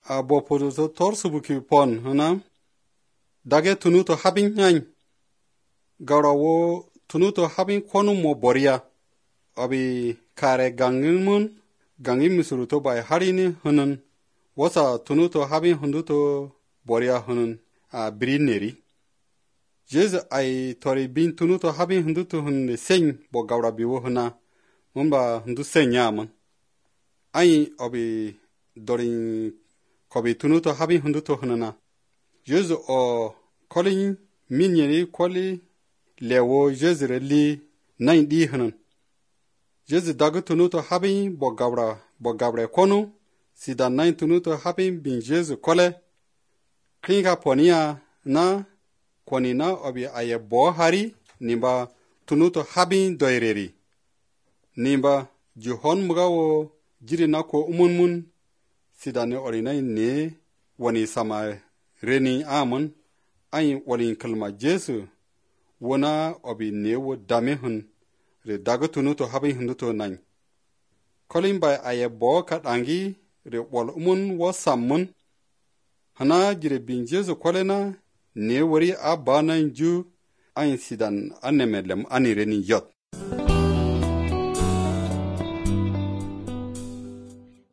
a bo podo to tor subuki pon hana dage tunuto habin nyan gawra wo tunuto habin kwonu mo boria abi kare gangin mun gangin misuruto bai harini hanan wasa tunuto habin hunduto boria hanan a brineri jez ai tori bin tunuto habin hunduto hunne sen bo gawra biwo hana mumba hundu senyaman ai abi dorin kobi tunuto habin hunduto hanana jez o kolin minyeri koli lewo jezre li nain di hanan jez dagu tunuto habin bo gawra kono sida nain tunuto habin bin jez kole klinga ponia na konina obi aye bo hari nimba tunuto habin doireri nimba juhon mugawo jiri na ko umunmun sida ne orinai ne wani sama reni amon ayin walin kalma jesu wana obi ne wo dame hun re daga tunuto habin hunduto nan kolin bai aye bo kadangi re wal umun wo sammun hana jire bin jesu kolena ne wari abanan ju ayin sidan anemelem anireni yot